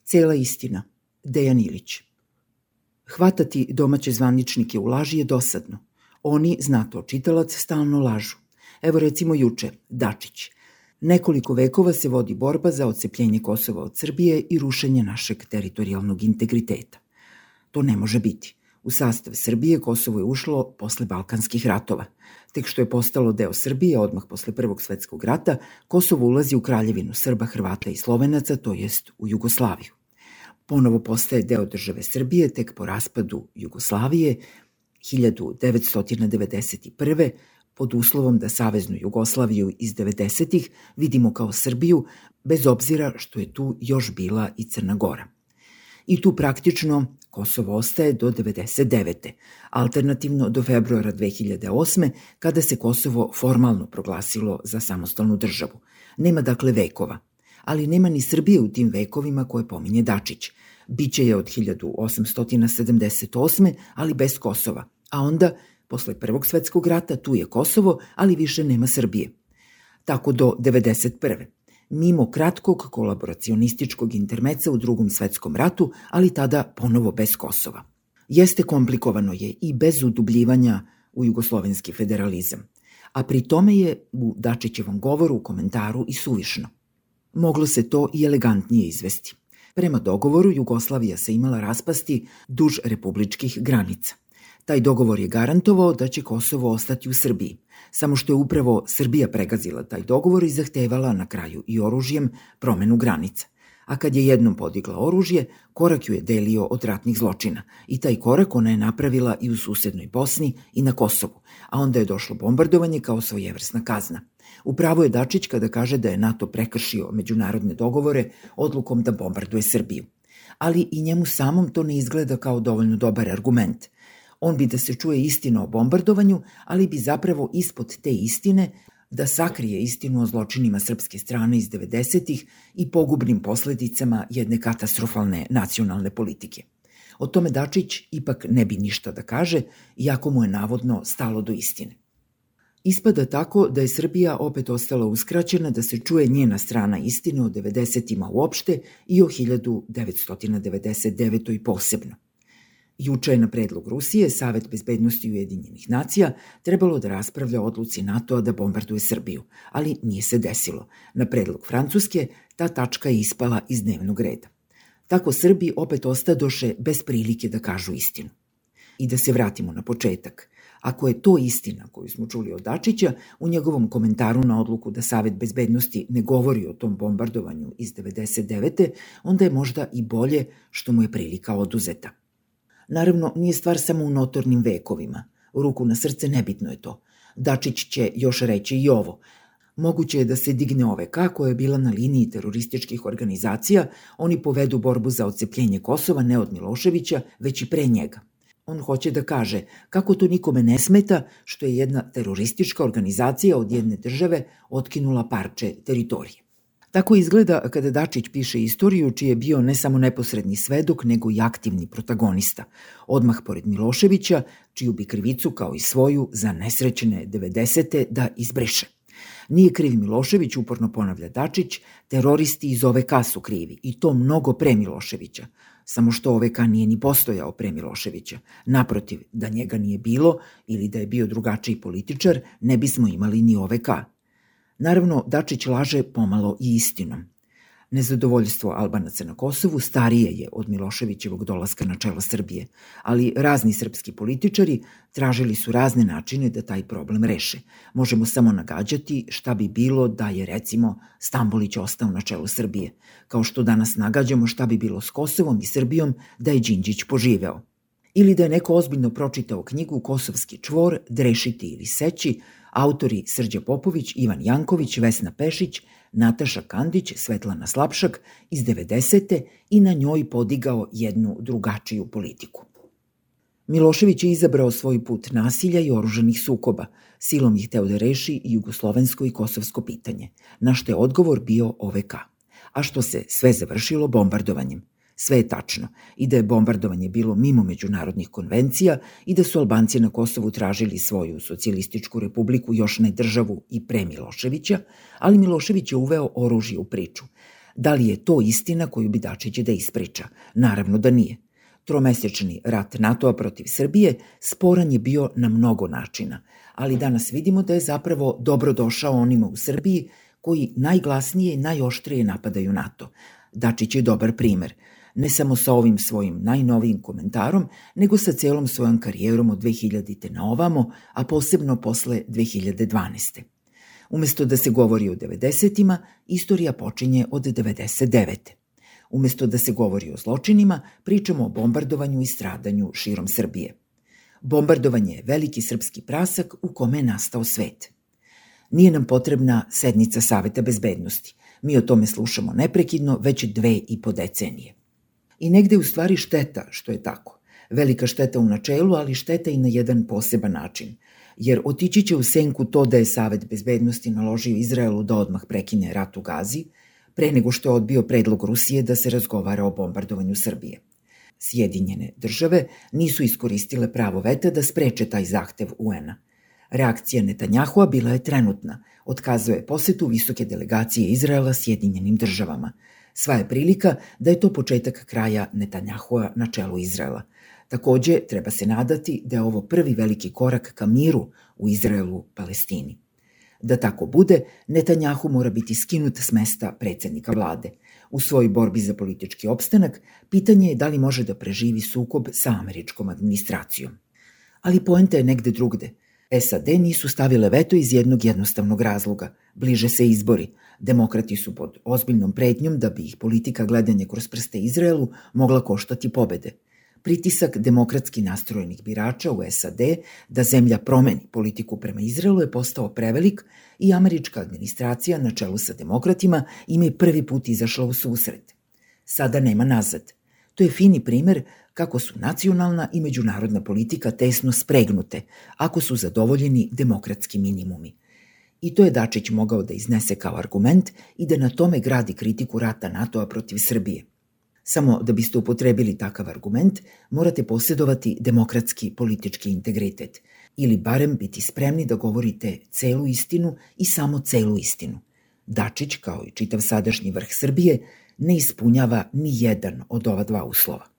Cela istina. Dejan Ilić. Hvatati domaće zvaničnike u laži je dosadno. Oni, zna to čitalac, stalno lažu. Evo recimo juče, Dačić. Nekoliko vekova se vodi borba za odcepljenje Kosova od Srbije i rušenje našeg teritorijalnog integriteta. To ne može biti. U sastav Srbije Kosovo je ušlo posle Balkanskih ratova. Tek što je postalo deo Srbije, odmah posle Prvog svetskog rata, Kosovo ulazi u kraljevinu Srba, Hrvata i Slovenaca, to jest u Jugoslaviju. Ponovo postaje deo države Srbije tek po raspadu Jugoslavije 1991. pod uslovom da Saveznu Jugoslaviju iz 90-ih vidimo kao Srbiju, bez obzira što je tu još bila i Crna Gora. I tu praktično Kosovo ostaje do 1999. Alternativno do februara 2008. kada se Kosovo formalno proglasilo za samostalnu državu. Nema dakle vekova, ali nema ni Srbije u tim vekovima koje pominje Dačić. Biće je od 1878. ali bez Kosova, a onda, posle Prvog svetskog rata, tu je Kosovo, ali više nema Srbije. Tako do 1991. Mimo kratkog kolaboracionističkog intermeca u Drugom svetskom ratu, ali tada ponovo bez Kosova. Jeste komplikovano je i bez udubljivanja u jugoslovenski federalizam, a pri tome je u Dačićevom govoru u komentaru i suvišno. Moglo se to i elegantnije izvesti. Prema dogovoru Jugoslavija se imala raspasti duž republičkih granica. Taj dogovor je garantovao da će Kosovo ostati u Srbiji, samo što je upravo Srbija pregazila taj dogovor i zahtevala na kraju i oružjem promenu granica. A kad je jednom podigla oružje, korak ju je delio od ratnih zločina i taj korak ona je napravila i u susednoj Bosni i na Kosovu, a onda je došlo bombardovanje kao svojevrsna kazna. Upravo je Dačić kada kaže da je NATO prekršio međunarodne dogovore odlukom da bombarduje Srbiju. Ali i njemu samom to ne izgleda kao dovoljno dobar argument. On bi da se čuje istina o bombardovanju, ali bi zapravo ispod te istine da sakrije istinu o zločinima srpske strane iz 90-ih i pogubnim posledicama jedne katastrofalne nacionalne politike. O tome Dačić ipak ne bi ništa da kaže, iako mu je navodno stalo do istine. Ispada tako da je Srbija opet ostala uskraćena da se čuje njena strana istine o 90-ima uopšte i o 1999. i posebno. Juče je na predlog Rusije Savet bezbednosti Ujedinjenih nacija trebalo da raspravlja o odluci NATO-a da bombarduje Srbiju, ali nije se desilo. Na predlog Francuske ta tačka je ispala iz dnevnog reda. Tako Srbi opet ostadoše bez prilike da kažu istinu. I da se vratimo na početak. Ako je to istina koju smo čuli od Dačića, u njegovom komentaru na odluku da Savet bezbednosti ne govori o tom bombardovanju iz 99. onda je možda i bolje što mu je prilika oduzeta. Naravno, nije stvar samo u notornim vekovima. U ruku na srce nebitno je to. Dačić će još reći i ovo. Moguće je da se digne OVK koja je bila na liniji terorističkih organizacija, oni povedu borbu za odcepljenje Kosova ne od Miloševića, već i pre njega. On hoće da kaže kako to nikome ne smeta što je jedna teroristička organizacija od jedne države otkinula parče teritorije. Tako izgleda kada Dačić piše istoriju čiji je bio ne samo neposredni svedok, nego i aktivni protagonista, odmah pored Miloševića, čiju bi krivicu kao i svoju za nesrećene 90. da izbriše. Nije kriv Milošević, uporno ponavlja Dačić, teroristi iz OVK su krivi i to mnogo pre Miloševića. Samo što OVK nije ni postojao pre Miloševića. Naprotiv, da njega nije bilo ili da je bio drugačiji političar, ne bismo imali ni OVK. Naravno, Dačić laže pomalo i istinom. Nezadovoljstvo Albanaca na Kosovu starije je od Miloševićevog dolaska na čelo Srbije, ali razni srpski političari tražili su razne načine da taj problem reše. Možemo samo nagađati šta bi bilo da je, recimo, Stambolić ostao na čelu Srbije, kao što danas nagađamo šta bi bilo s Kosovom i Srbijom da je Đinđić poživeo. Ili da je neko ozbiljno pročitao knjigu Kosovski čvor, Drešiti ili seći, autori Srđa Popović, Ivan Janković, Vesna Pešić, Nataša Kandić, Svetlana Slapšak iz 90. i na njoj podigao jednu drugačiju politiku. Milošević je izabrao svoj put nasilja i oružanih sukoba, silom ih hteo da reši i jugoslovensko i kosovsko pitanje, na što je odgovor bio OVK, a što se sve završilo bombardovanjem. Sve je tačno, i da je bombardovanje bilo mimo međunarodnih konvencija i da su Albanci na Kosovu tražili svoju socijalističku republiku, još ne državu i pre Miloševića, ali Milošević je uveo oružje u priču. Da li je to istina koju bi Dačić da ispriča? Naravno da nije. Tromesečni rat NATO-a protiv Srbije sporan je bio na mnogo načina, ali danas vidimo da je zapravo dobro došao onima u Srbiji koji najglasnije i najoštrije napadaju NATO. Dačić je dobar primer, ne samo sa ovim svojim najnovijim komentarom, nego sa celom svojom karijerom od 2000. na ovamo, a posebno posle 2012. Umesto da se govori o 90-ima, istorija počinje od 99. Umesto da se govori o zločinima, pričamo o bombardovanju i stradanju širom Srbije. Bombardovanje je veliki srpski prasak u kome je nastao svet. Nije nam potrebna sednica Saveta bezbednosti. Mi o tome slušamo neprekidno već 2,5 decenije. I negde je u stvari šteta što je tako. Velika šteta u načelu, ali šteta i na jedan poseban način. Jer otići će u senku to da je Savet bezbednosti naložio Izraelu da odmah prekine rat u Gazi, pre nego što je odbio predlog Rusije da se razgovara o bombardovanju Srbije. Sjedinjene države nisu iskoristile pravo veta da spreče taj zahtev UN-a. Reakcija Netanjahua bila je trenutna, otkazao je posetu visoke delegacije Izraela Sjedinjenim državama. Sva je prilika da je to početak kraja Netanjahua na čelu Izraela. Takođe, treba se nadati da je ovo prvi veliki korak ka miru u Izraelu-Palestini. Da tako bude, Netanjahu mora biti skinut s mesta predsednika vlade. U svojoj borbi za politički opstanak, pitanje je da li može da preživi sukob sa američkom administracijom. Ali poenta je negde drugde. SAD nisu stavile veto iz jednog jednostavnog razloga. Bliže se izbori. Demokrati su pod ozbiljnom pretnjom da bi ih politika gledanja kroz prste Izraelu mogla koštati pobede. Pritisak demokratski nastrojenih birača u SAD da zemlja promeni politiku prema Izraelu je postao prevelik i američka administracija na čelu sa demokratima im je prvi put izašla u susret. Sada nema nazad. To je fini primer kako su nacionalna i međunarodna politika tesno spregnute, ako su zadovoljeni demokratski minimumi. I to je Dačić mogao da iznese kao argument i da na tome gradi kritiku rata NATO-a protiv Srbije. Samo da biste upotrebili takav argument, morate posjedovati demokratski politički integritet ili barem biti spremni da govorite celu istinu i samo celu istinu. Dačić, kao i čitav sadašnji vrh Srbije, ne ispunjava ni jedan od ova dva uslova.